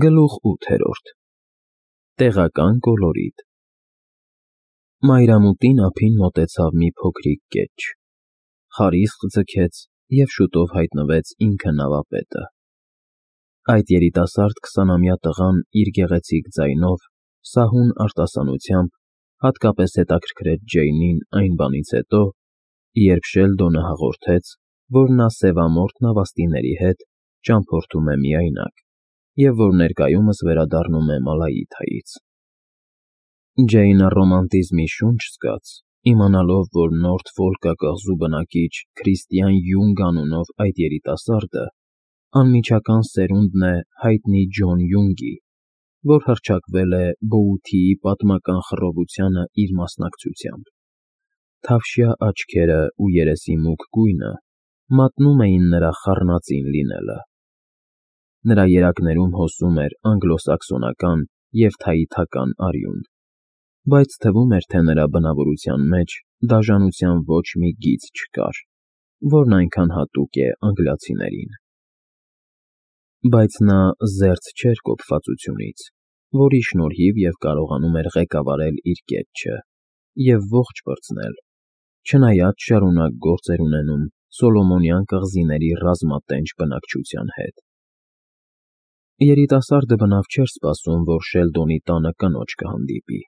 Գլուխ 8 Տեղական կոլորիտ Մայրամուտին ափին մոտեցավ մի փոքրիկ կեչ, խարիսկ ձգեց և շուտով հայտնվեց ինքը նավապետը։ Այդ երիտասարդ 20-ամյա տղան իր գեղեցիկ ձայնով, սահուն արտասանությամբ հատկապես հետաքրքրեց Ջեյնին այն բանից հետո, երբ Շելդոնը հաղորդեց, որ նա սևամորթ նավաստիների հետ ճամփորդում է միայնակ և որ ներկայումս վերադառնում է Մալայիթայից։ Ջեյնը ռոմանտիզմի շունչ զգաց, իմանալով, որ Նորթֆոլկա կղզու բնակիչ Քրիստիան Յունգ անունով այդ երիտասարդը անմիջական սերունդն է հայտնի Ջոն Յունգի, որ հռչակվել է Բոութիի պատմական խռովությանը իր մասնակցությամբ։ Թավշյա աչքերը ու երեսի մուգ գույնը մատնում էին նրա խառնածին լինելը։ Նրա երակներում հոսում էր անգլոսաքսոնական և թաիթական արյուն, բայց թվում էր, թե նրա բնավորության մեջ դաժանության ոչ մի գիծ չկար, որն այնքան հատուկ է անգլիացիներին։ Բայց նա զերծ չէր կոփվածությունից, որի շնորհիվ և կարողանում էր ղեկավարել իր կետչը և ողջ պրծնել, չնայած շարունակ գործ էր ունենում Սոլոմոնյան կղզիների ռազմատենչ բնակչության հետ։ Երիտասարդը բնավ չէր սպասում, որ Շելդոնի տանը կնոջ կհանդիպի,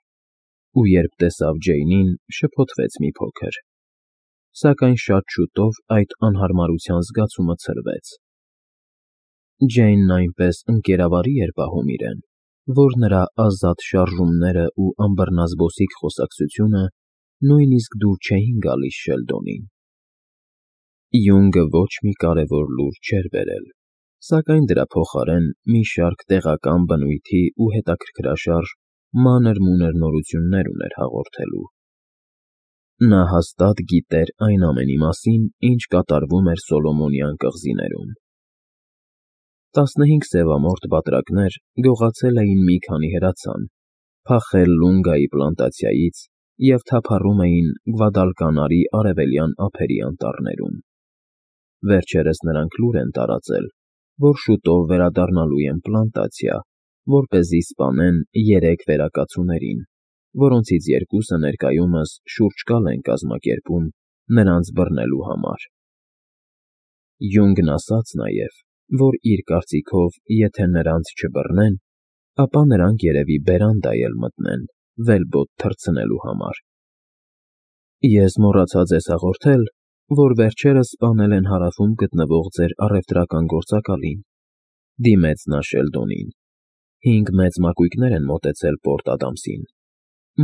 ու երբ տեսավ Ջեյնին, շփոթվեց մի փոքր, սակայն շատ շուտով այդ անհարմարության զգացումը ցրվեց։ Ջեյնն այնպես ընկերավարի էր պահում իրեն, որ նրա ազատ շարժումներն ու անբռնազբոսիկ խոսակցությունը նույնիսկ դուր չէին գալիս Շելդոնին։ Յունգը ոչ մի կարևոր լուր չէր բերել, սակայն դրա փոխարեն մի շարք տեղական բնույթի ու հետաքրքրաշարժ մանր-մունր նորություններ ուներ հաղորդելու։ Նա հաստատ գիտեր այն ամենի մասին, ինչ կատարվում էր Սոլոմոնյան կղզիներում։ 15 սևամորթ բատրակներ գողացել էին մի քանի հրացան, փախել Լունգայի պլանտացիայից և թափառում էին Գվադալկանարի արևելյան ափերի անտառներում։ Վերջերս նրանք լուր են տարածել, որ շուտով վերադառնալու են պլանտացիա, որպեսզի սպանեն 3 վերակացուներին, որոնցից 2-ը ներկայումս շուրջկալ են կազմակերպում նրանց բռնելու համար։ Յունգն ասաց նաև, որ իր կարծիքով, եթե նրանց չբռնեն, ապա նրանք երևի բերանդա էլ մտնեն վելբոտ թռցնելու համար։ Ես մոռացա ձեզ հաղորդել, որ վերջերս սպանել են հարավում գտնվող ձեր առևտրական գործակալին, դիմեց նա Շելդոնին։ 5 մեծ մակույկներ են մոտեցել Պորտ Ադամսին։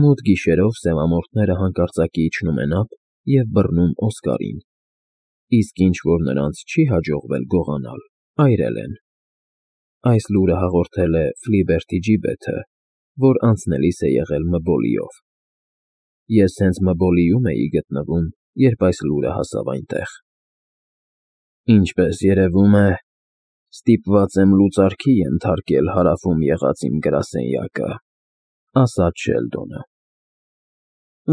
Մութ գիշերով սևամորթները հանկարծակի իջնում են ափ և բռնում Օսկարին, իսկ ինչ որ նրանց չի հաջողվել գողանալ, այրել են։ Այս լուրը հաղորդել է Ֆլիբերթի ջիբեթը, որ անցնելիս է եղել Մբոլիով։ Ես հենց Մբոլիում էի գտնվում, երբ այս լուրը հասավ այնտեղ։ Ինչպես երևում է, ստիպված եմ լուծարքի ենթարկել հարավում եղած իմ գրասենյակը, ասաց Շելդոնը։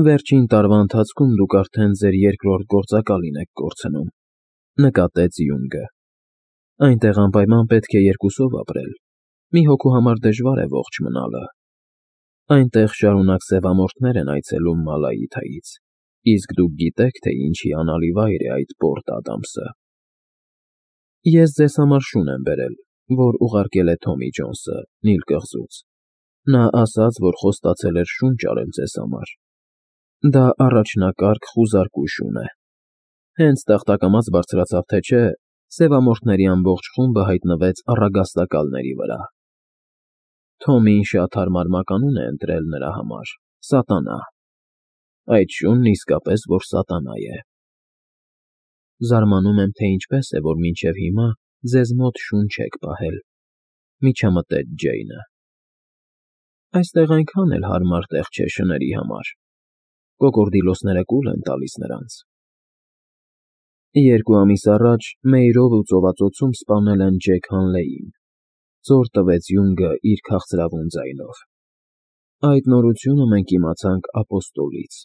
Վերջին տարվա ընթացքում դուք արդեն ձեր երկրորդ գործակալին եք կորցնում, նկատեց Յունգը։ Այնտեղ անպայման պետք է 2-ով ապրել, մի հոգու համար դժվար է ողջ մնալը։ Այնտեղ շարունակ սևամորթներ են այցելում Մալայիթայից, իսկ դուք գիտեք, թե ինչի անալի վայր է այդ Պորտ Ադամսը։ Ես ձեզ համար շուն եմ բերել, որ ուղարկել է Թոմի Ջոնսը Նիլ կղզուց։ Նա ասաց, որ խոստացել էր շունչ արել ձեզ համար։ Դա առաջնակարգ խուզարկու շուն է։ Հենց տախտակամաց բարձրացավ, թե չէ, սևամորթների ամբողջ խումբը հայտնվեց առագաստակալների վրա։ Թոմին շատ հարմար մականուն է ընտրել նրա համար՝ Սատանա։ Այդ շունն իսկապես որ սատանա է։ Զարմանում եմ, թե ինչպես է, որ մինչև հիմա ձեզ մոտ շուն չեք պահել, միջամտեց Ջեյնը։ Այստեղ այնքան էլ հարմար տեղ չէ շների համար։ Կոկորդիլոսները կուլ են տալիս նրանց։ 2 ամիս առաջ Մեյրով ու ծովածոցում սպանել են Ջեք Հանլեին, ծոր տվեց Յունգը իր քաղցրավուն ձայնով։ Այդ նորությունը մենք իմացանք ապոստոլից։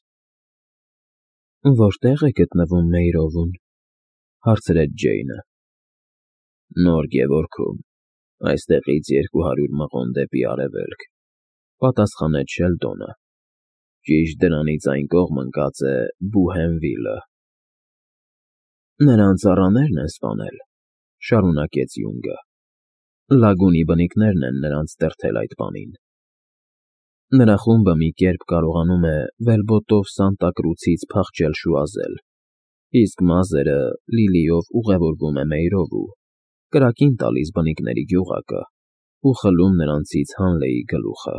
Որտե՞ղ է գտնվում Մեյրովում, հարցրեց Ջեյնը։ Նոր Գևորգում, Այստեղից 200 մղոն դեպի արևելք, պատասխանեց Շելդոնը։ Ճիշտ դրանից այն կողմ ընկած է Բուհենվիլը։ Նրան ծառաներն են սպանել, շարունակեց Յունգը։ Լագունի բնիկներն են նրանց տերթել այդ բանին։ Նրա խումբը մի կերպ կարողանում է վելբոտով Սանտա Կրուցից փախչել շուազել, իսկ մազերը Լիլիով ուղևորվում է Մեյրով ու կրակին տալիս բնիկների գյուղակը ու խլում նրանցից Հանլեի գլուխը։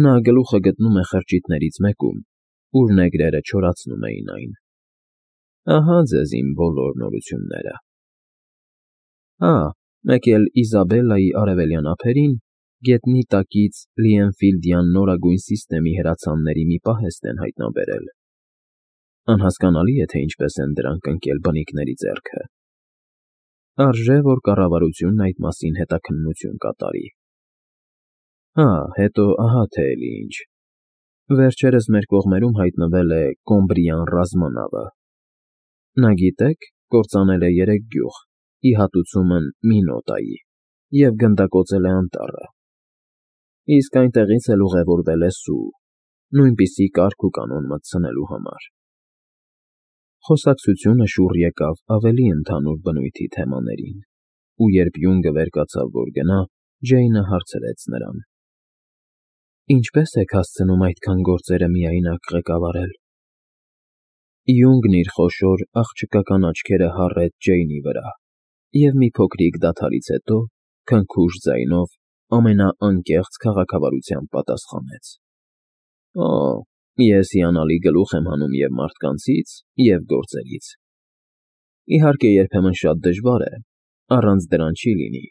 Նա գլուխը գտնում է խրճիթներից մեկում, ուր նեգրերը չորացնում էին այն։ Ահա ձեզ իմ բոլոր նորությունները։ Մեկ էլ Իզաբելլայի արևելյան ափերին գետնի տակից Լիենֆիլդյան նորագույն սիստեմի հրացանների մի պահեստ են հայտնաբերել։ Անհասկանալի է, թե ինչպես են դրանք ընկել բնիկների ձեռքը։ Արժե, որ կառավարությունն այդ մասին հետաքննություն կատարի։ Հետո ահա թե էլի ինչ։ Վերջերս մեր կողմերում հայտնվել է Կոմբրիան ռազմանավը։ Նա, գիտեք, կործանել է 3 գյուղ, ի հատուցումն Մինոտայի, և գնդակոծել է անտառը։ Իսկ այնտեղից էլ ուղևորվել է սու, նույնպիսի կարգ ու կանոն մտցնելու համար։ Խոսակցությունը շուռ եկավ ավելի ընդհանուր բնույթի թեմաներին, ու երբ Յունգը վեր կացավ, որ գնա, Ջեյնը հարցրեց նրան. Ինչպե՞ս եք հասցնում այդքան գործերը միայնակ ղեկավարել։ Յունգն իր խոշոր աղջկական աչքերը հառեց Ջեյնի վրա և մի փոքրիկ դադարից հետո քնքուշ ձայնով ամենաանկեղծ քաղաքավարությամբ պատասխանեց. Ես հիանալի գլուխ եմ հանում և մարդկանցից, և գործերից։ Իհարկե, երբեմն շատ դժվար է, առանց դրան չի լինի։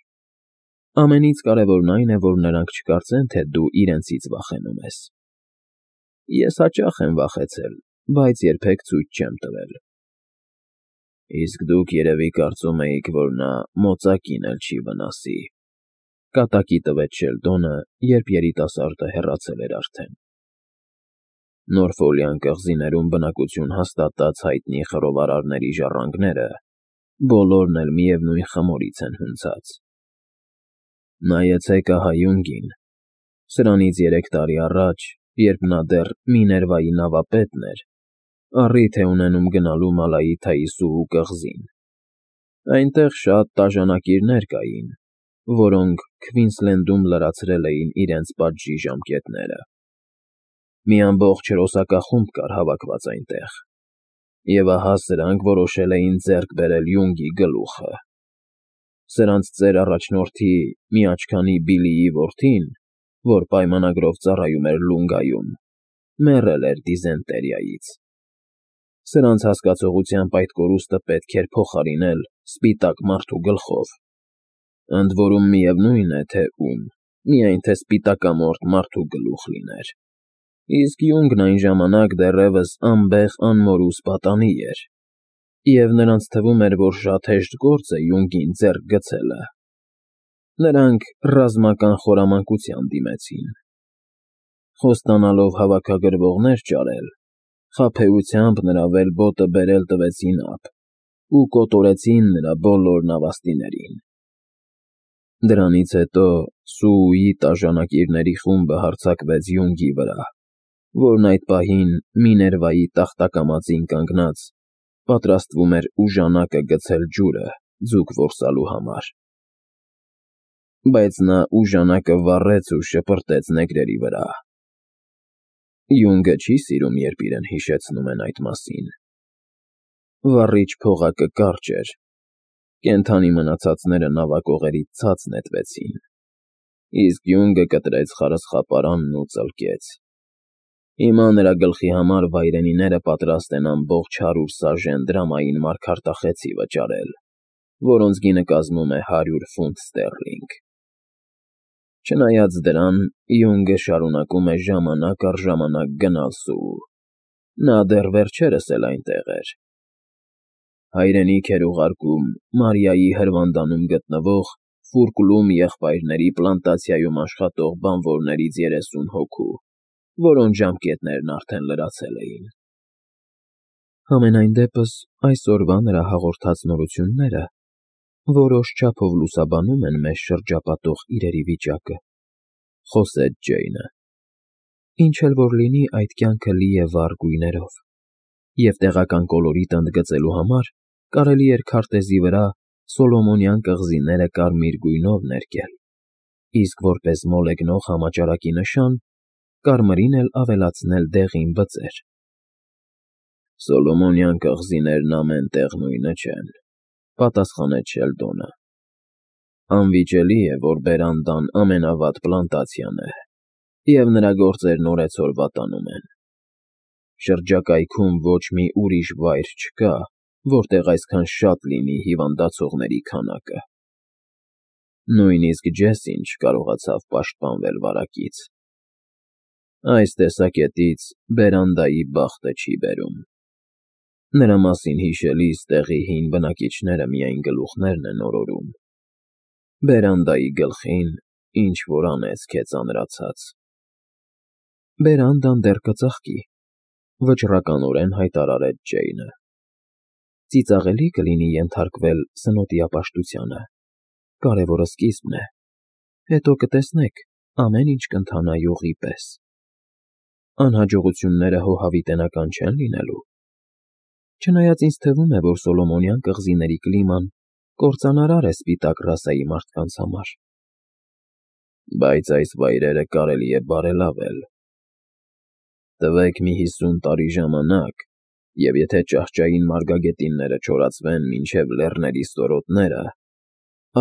Ամենից կարևորն այն է, որ նրանք չկարծեն, թե դու իրենցից վախենում ես։ Ես հաճախ եմ վախեցել, բայց երբեք ցույց չեմ տվել։ Իսկ դուք երևի կարծում էիք, որ նա մոծակին էլ չի վնասի, կատակի տվեց Շելդոնը, երբ երիտասարդը հեռացել էր արդեն։ Նորֆոլյան կղզիներում բնակություն հաստատած հայտնի խռովարարների ժառանգները բոլորն էլ միևնույն խմորից են հունցած։ Նայեցեք ահա Յունգին։ Սրանից 3 տարի առաջ, երբ նա դեռ Միներվայի նավապետն էր, առիթ է ունենում գնալու Մալայիթայի Սուու կղզին։ Այնտեղ շատ տաժանակիրներ կային, որոնք Քվինսլենդում լրացրել էին իրենց պատժի ժամկետները։ Մի ամբողջ հրոսակախումբ կար հավաքված այնտեղ, և ահա սրանք որոշել էին ձեռք բերել Յունգի գլուխը։ Սրանց ծեր առաջնորդի մի աչքանի Բիլիի որդին, որ պայմանագրով ծառայում էր Լունգայում, մեռել էր դիզենտերիայից։ Սրանց հասկացողությամբ այդ կորուստը պետք էր փոխարինել սպիտակ մարդու գլխով, ընդ որում միևնույն է, թե ում, միայն թե սպիտակամորթ մարդու գլուխ լիներ։ Իսկ Յունգն այն ժամանակ դեռևս անբեղ անմորուս պատանի էր, և նրանց թվում էր, որ շատ հեշտ գործ է Յունգին ձեռք գցելը։ Նրանք ռազմական խորամանկության դիմեցին։ Խոստանալով հավաքագրվողներ ճարել, խաբեությամբ նրա վելբոտը բերել տվեցին ափ ու կոտորեցին նրա բոլոր նավաստիներին։ Դրանից հետո Սուուի տաժանակիրների խումբը հարձակվեց Յունգի վրա, որն այդ պահին Միներվայի տախտակամածին կանգնած պատրաստվում էր ուժանակը գցել ջուրը ձուկ որսալու համար։ Բայց նա ուժանակը վառեց ու շպրտեց նեգրերի վրա։ Յունգը չի սիրում, երբ իրեն հիշեցնում են այդ մասին։ Վառիչ փողակը կարճ էր, կենդանի մնացածները նավակողերից ցած նետվեցին, իսկ Յունգը կտրեց խարսխապարանն ու ծլկեց։ Հիմա նրա գլխի համար վայրենիները պատրաստ են ամբողջ 100 սաժեն դրամային մարգարտախեցի վճարել, որոնց գինը կազմում է 100 ֆունտ ստեռլինգ։ Չնայած դրան, Յունգը շարունակում է ժամանակ առ ժամանակ գնալ Սուու։ Նա դեռ վերջերս էլ այնտեղ էր։ Հայրենիք էր ուղարկում Մարիայի հրվանդանում գտնվող Ֆուրկլում եղբայրների պլանտացիայում աշխատող բանվորներից 30 հոգու, որոնց ժամկետներն արդեն լրացել էին։ Համենայն դեպս, այսօրվա նրա հաղորդած նորությունները որոշ չափով լուսաբանում են մեզ շրջապատող իրերի վիճակը, խոսեց Ջեյնը։ Ինչ էլ որ լինի, այդ կյանքը լի է վառ գույներով, և տեղական կոլորիտ ընդգծելու համար կարելի էր քարտեզի վրա Սոլոմոնյան կղզիները կարմիր գույնով ներկել, իսկ որպես մոլեգնող համաճարակի նշան, կարմրին էլ ավելացնել դեղին բծեր։ Սոլոմոնյան կղզիներն ամեն տեղ նույնը չեն, պատասխանեց Շելդոնը։ Անվիճելի է, որ բերանդան ամենավատ պլանտացիան է, և նրա գործերն օրեցօր վատանում են։ Շրջակայքում ոչ մի ուրիշ վայր չկա, որտեղ այսքան շատ լինի հիվանդացողների քանակը։ Նույնիսկ Ջեսին չկարողացավ պաշտպանվել վարակից։ Այս տեսակետից բերանդայի բախտը չի բերում։ Նրա մասին հիշելիս տեղի հին բնակիչները միայն գլուխներն են օրորում։ Բերանդայի գլխին ինչ-որ անեծք է ծանրացած։ Բերանդան դեռ կծաղկի, վճռականորեն հայտարարեց Ջեյնը։ Ծիծաղելի կլինի ենթարկվել սնոտիապաշտությանը, կարևորը սկիզբն է, հետո կտեսնեք, ամեն ինչ կընթանա յուղի պես։ Անհաջողությունները հոհավիտենական չեն լինելու։ Չնայած ինձ թվում է, որ Սոլոմոնյան կղզիների կլիման կործանարար է սպիտակ ռասայի մարդկանց համար։ Բայց այս վայրերը կարելի է բարելավել։ Տվեք մի 50 տարի ժամանակ, և եթե ճահճային մարգագետինները չորացվեն մինչև լեռների ստորոտները,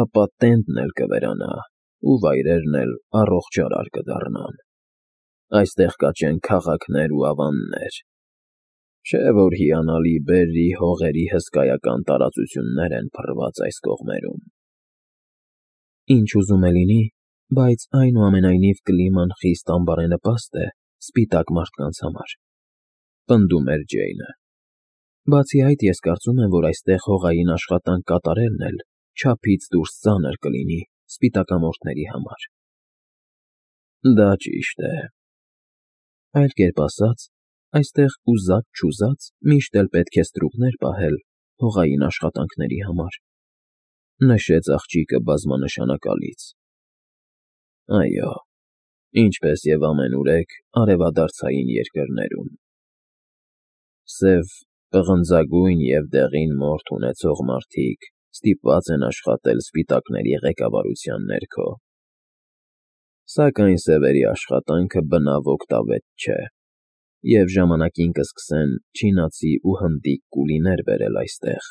ապա Տենտն էլ կվերանա, ու վայրերն էլ առողջարար կդառնան։ Այստեղ կաճեն քաղաքներ ու ավաններ։ Չէ՞ որ հիանալի բերրի հողերի հսկայական տարածություններ են փռված այս կողմերում։ Ինչ ուզում է լինի, բայց այնուամենայնիվ կլիման խիստ անբարենպաստ է սպիտակ մարդկանց համար, պնդում էր Ջեյնը։ Բացի այդ, ես կարծում եմ, որ այստեղ հողային աշխատանք կատարելն էլ չափից դուրս ծանր կլինի սպիտակամորթների համար։ Դա ճիշտ է։ Այլ կերպ ասած, այստեղ ուզած-չուզած միշտ էլ պետք է ստրուկներ պահել հողային աշխատանքների համար, նշեց աղջիկը բազմանշանակալից։ Այո, ինչպես և ամենուրեք արևադարձային երկրներում։ Սև, պղնձագույն և դեղին մորթ ունեցող մարդիկ ստիպված են աշխատել սպիտակների ղեկավարության ներքո։ Սակայն սևերի աշխատանքը բնավ օգտավետ չէ, և ժամանակին կսկսեն չինացի ու հնդիկ կուլիներ բերել այստեղ։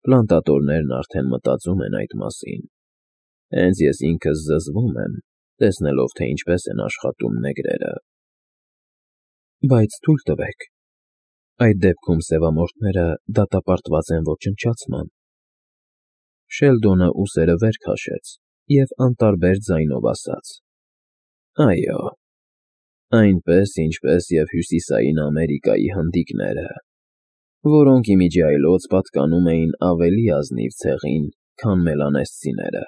Պլանտատորներն արդեն մտածում են այդ մասին։ Հենց ես ինքս զզվում եմ, տեսնելով, թե ինչպես են աշխատում նեգրերը։ Բայց թույլ տվեք, այդ դեպքում սևամորթները դատապարտված են ոչնչացման։ Շելդոնը ուսերը վեր քաշեց և անտարբեր ձայնով ասաց. Այո, այնպես, ինչպես և Հյուսիսային Ամերիկայի հնդիկները, որոնք իմիջիայլոց պատկանում էին ավելի ազնիվ ցեղին, քան մելանեզցիները։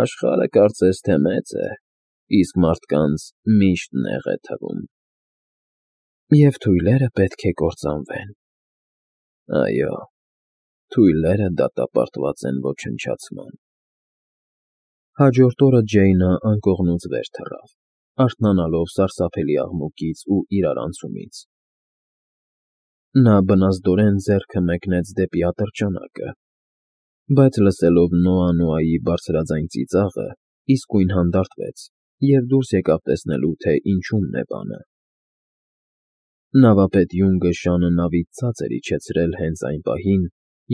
Աշխարհը կարծես թե մեծ է, իսկ մարդկանց միշտ նեղ է թվում։ Եվ թույլերը պետք է կործանվեն։ Այո, թույլերը դատապարտված են ոչնչացման։ Հաջորդ օրը Ջեյնը անկողնուց վեր թռավ, արթնանալով սարսափելի աղմուկից ու իրարանցումից։ Նա բնազդորեն ձեռքը մեկնեց դեպի ատրճանակը, բայց լսելով Նոա֊Նոայի բարձրաձայն ծիծաղը, իսկույն հանդարտվեց և դուրս եկավ տեսնելու, թե ինչումն է բանը։ Նավապետ Յունգը շանը նավից ցած էր իջեցրել հենց այն պահին,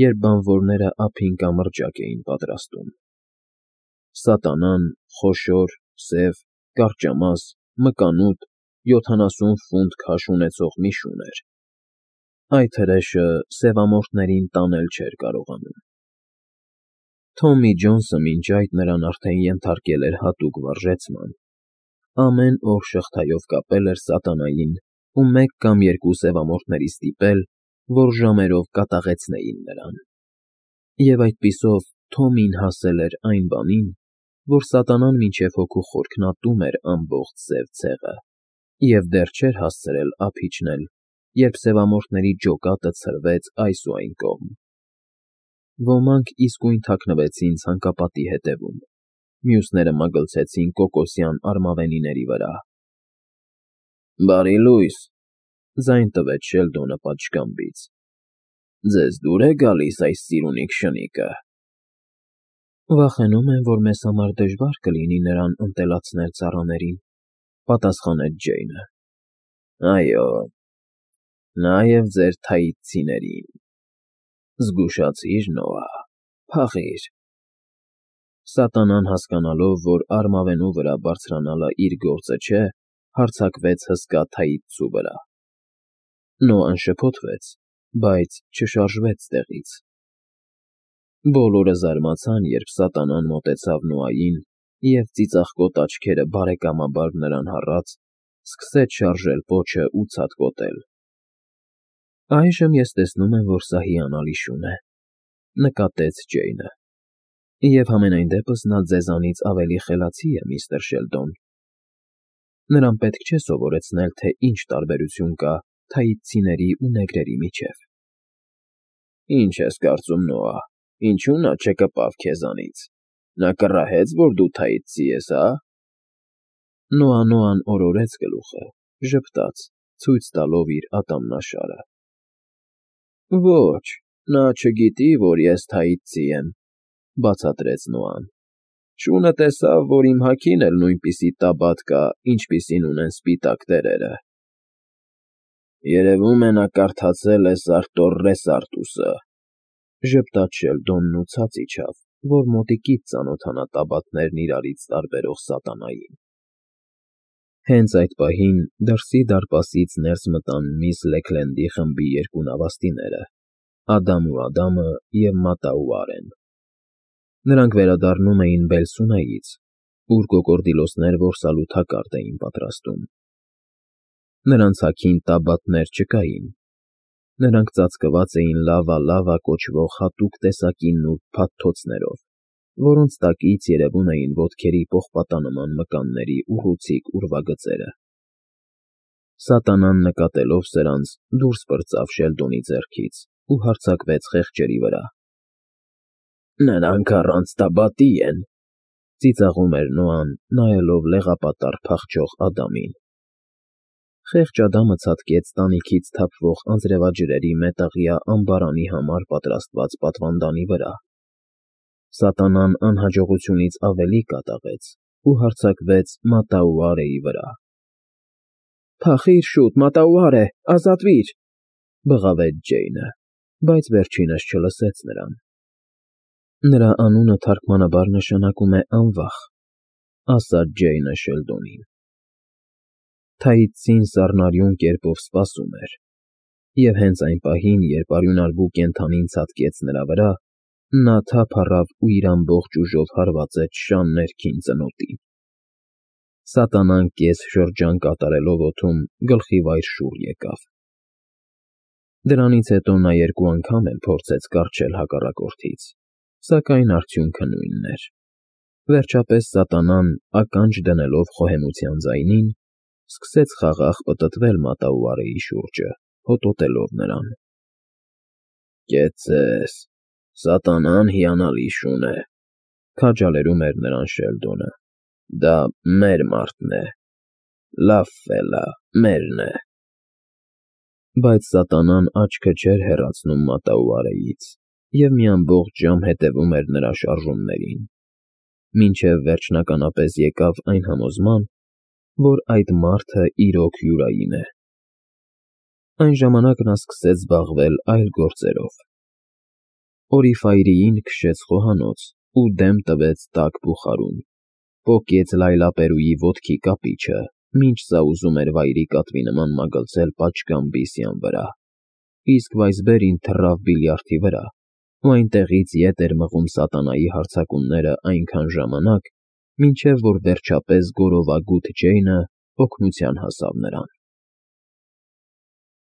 երբ բանվորները ափին կամրջակ էին պատրաստում։ Սատանան խոշոր, սև, կարճամաս, մկանուտ, 70 ֆունտ քաշ ունեցող մի շուն էր։ Այդ հրեշը սևամորթներին տանել չէր կարողանում։ Թոմի Ջոնսը մինչ այդ նրան արդեն ենթարկել էր հատուկ վարժեցման։ Ամեն օր շղթայով կապել էր սատանային ու մեկ կամ երկու սևամորթների ստիպել, որ ժամերով կատաղեցնեին նրան։ Եվ այդպիսով Թոմին հասել էր այն բանին, որ սատանան մինչև հոգու խորքն ատում էր ամբողջ սև ցեղը, և դեռ չէր հասցրել ափ իջնել, երբ սևամորթների ջոկատը ցրվեց այս ու այն կողմ։ Ոմանք իսկույն թաքնվեցին ցանկապատի հետևում, մյուսները մագլցեցին կոկոսյան արմավենիների վրա։ «Բարի լույս», ձայն տվեց Շելդոնը պատշգամբից։ «Ձեզ դուր է գալիս այս ծիրունիկ շնիկը»։ «Վախենում եմ, որ մեզ համար դժվար կլինի նրան ընտելացնել ծառաներին», պատասխանեց Ջեյնը։ «Այո, նաև ձեր թայիցիներին։ Զգուշացիր, Նոա, փախիր»։ Սատանան, հասկանալով, որ արմավենու վրա բարձրանալը իր գործը չէ, հարձակվեց հսկա թայիցու վրա։ Նոան շփոթվեց, բայց չշարժվեց տեղից։ Բոլորը զարմացան, երբ սատանան մոտեցավ Նոային և, ծիծաղկոտ աչքերը բարեկամաբար նրան հառած, սկսեց շարժել պոչը ու ցատկոտել։ «Այժմ ես տեսնում եմ, որ սա հիանալի շուն է», նկատեց Ջեյնը։ «Եվ համենայն դեպս նա ձեզանից ավելի խելացի է, միստր Շելդոն։ Նրան պետք չէ սովորեցնել, թե ինչ տարբերություն կա թայիցիների ու նեգրերի միջև»։ «Ինչ ես կարծում, Նոա, ինչու նա չկպավ քեզանից։ Նա կռահեց, որ դու թայիցի ես, հա»։ Նոան օրորեց գլուխը, ժպտաց, ցույց տալով իր ատամնաշարը։ «Ոչ, նա չգիտի, որ ես թայիցի եմ», բացատրեց Նոան։ «Շունը տեսավ, որ իմ հագին էլ նույնպիսի տաբատ կա, ինչպիսին ունեն սպիտակ տերերը»։ «Երևում է նա կարդացել է Սարտոռ Ռեսարտուսը», ժպտաց Շելդոնն ու ցած իջավ, որ մոտիկից ծանոթանա տաբատներն իրարից տարբերող սատանային։ Հենց այդ պահին դրսի դարպասից ներս մտան միս Լեքլենդի խմբի երկու նավաստիները՝ Ադամ ու Ադամը և Մատա ու Արեն։ Նրանք վերադառնում էին Բելսունեից, ուր կոկորդիլոսներ որսալու թակարդ էին պատրաստում։ Նրանց հագին տաբատներ չկային։ Նրանք ծածկված էին լավա կոչվող հատուկ տեսակի նուրբ փաթթոցներով, որոնց տակից երևում էին ոտքերի պողպատանման մկանների ուռուցիկ ուրվագծերը։ Սատանան, նկատելով սրանց, դուրս պրծավ Շելդոնի ձեռքից ու հարձակվեց խեղճերի վրա։ «Նրանք առանց տաբատի են», ծիծաղում էր Նոան, նայելով լեղապատառ փախչող Ադամին։ Խեղճ Ադամը ցատկեց տանիքից թափվող անձրևաջրերի մետաղյա ամբարանի համար պատրաստված պատվանդանի վրա։ Սատանան անհաջողությունից ավելի կատաղեց ու հարձակվեց Մատա ու Արեի վրա։ «Փախիր շուտ, Մատա ու Արե, ազատվիր», բղավեց Ջեյնը, բայց վերջինս չլսեց նրան։ «Նրա անունը թարգմանաբար նշանակում է անվախ», ասաց Ջեյնը Շելդոնին։ Թայիցին սառնարյուն կերպով սպասում էր, և հենց այն պահին, երբ արյունարբու կենդանին ցատկեց նրա վրա, նա թափ առավ ու իր ամբողջ ուժով հարվածեց շան ներքին ծնոտին։ Սատանան կես շրջան կատարելով օդում գլխիվայր շուռ եկավ։ Դրանից հետո նա երկու անգամ էլ փորձեց կառչել հակառակորդից, սակայն արդյունքը նույնն էր։ Վերջապես սատանան, ականջ դնելով խոհեմության ձայնին, սկսեց խաղաղ պտտվել Մատա ու Արեի շուրջը, հոտոտելով նրան։ «Կեցցես, սատանան հիանալի շուն է», քաջալերում էր նրան Շելդոնը։ «Դա մեր մարդն է։ Լավ ֆելա, մերն է»։ Բայց սատանան աչքը չէր հեռացնում Մատա ու Արեից և մի ամբողջ ժամ հետևում էր նրա շարժումներին, մինչև վերջնականապես եկավ այն համոզման, որ այդ մարդը իրոք յուրային է։ Այն ժամանակ նա սկսեց զբաղվել այլ գործերով։ Օրիֆայրիին քշեց խոհանոց ու դեմ տվեց տաք բուխարուն, պոկեց լայլապերուի ոտքի կապիչը, մինչ սա ուզում էր վայրի կատվի նման մագլցել պատշգամբի սյան վրա, իսկ Վայսբերին թռավ բիլիարդի վրա ու այնտեղից ետ էր մղում սատանայի հարձակումները այնքան ժամանակ, մինչև որ վերջապես գորովագութ Ջեյնը օգնության հասավ նրան։